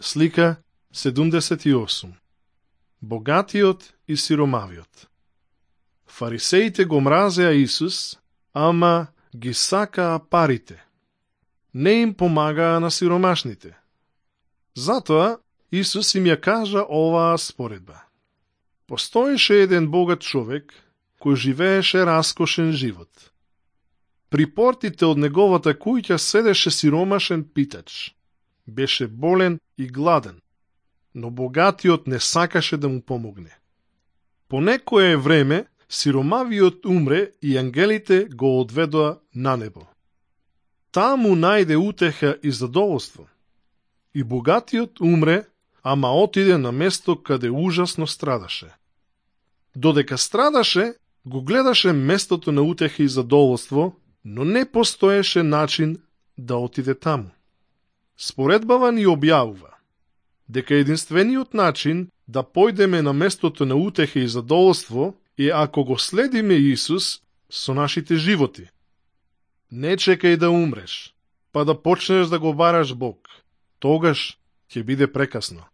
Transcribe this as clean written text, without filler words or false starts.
Слика 78. Богатиот и сиромавиот. Фарисеите го мразеа Исус, ама ги сакаа парите. Не им помагаа на сиромашните. Затоа Исус им ја кажа оваа споредба. Постоеше еден богат човек кој живееше раскошен живот. При портите од неговата куќа седеше сиромашен питач. Беше болен и гладен, но богатиот не сакаше да му помогне. По некое време сиромавиот умре и ангелите го одведоа на небо. Таа му најде утеха и задоволство. И богатиот умре, ама отиде на место каде ужасно страдаше. Додека страдаше, го гледаше местото на утеха и задоволство, но не постоеше начин да отиде таму. Споредбава ни објавува дека единствениот начин да појдеме на местото на утеха и задоволство е ако го следиме Исус со нашите животи. Не чекај да умреш, па да почнеш да го бараш Бог. Тогаш ќе биде прекасно.